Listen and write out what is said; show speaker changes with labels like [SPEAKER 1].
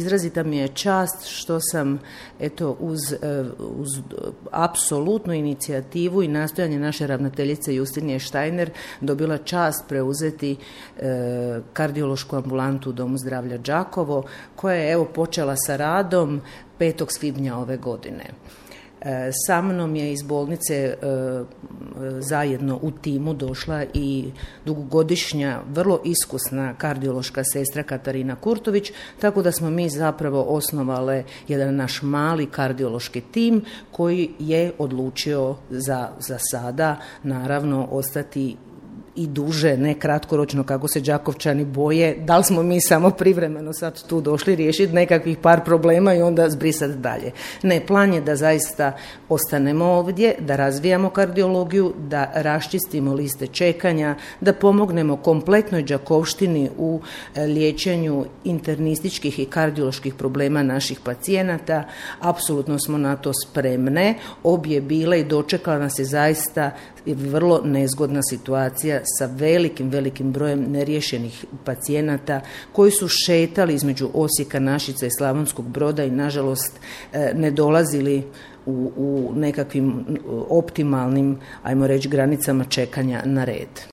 [SPEAKER 1] Izrazita mi je čast što sam uz apsolutnu inicijativu i nastojanje naše ravnateljice Justinije Štajner dobila čast preuzeti kardiološku ambulantu u Domu zdravlja Đakovo, koja je počela sa radom 5. svibnja ove godine. Sa mnom je iz bolnice zajedno u timu došla i dugogodišnja, vrlo iskusna kardiološka sestra Katarina Kurtović, tako da smo mi zapravo osnovale jedan naš mali kardiološki tim koji je odlučio za sada naravno ostati i duže, ne kratkoročno kako se Đakovčani boje, da li smo mi samo privremeno sad tu došli riješiti nekakvih par problema i onda zbrisati dalje. Ne, plan je da zaista ostanemo ovdje, da razvijamo kardiologiju, da raščistimo liste čekanja, da pomognemo kompletnoj Đakovštini u liječenju internističkih i kardioloških problema naših pacijenata. Apsolutno smo na to spremne. Obje bile i dočekala nas je zaista vrlo nezgodna situacija sa velikim brojem neriješenih pacijenata koji su šetali između Osijeka, Našica i Slavonskog Broda i nažalost ne dolazili u nekakvim optimalnim, ajmo reći, granicama čekanja na red.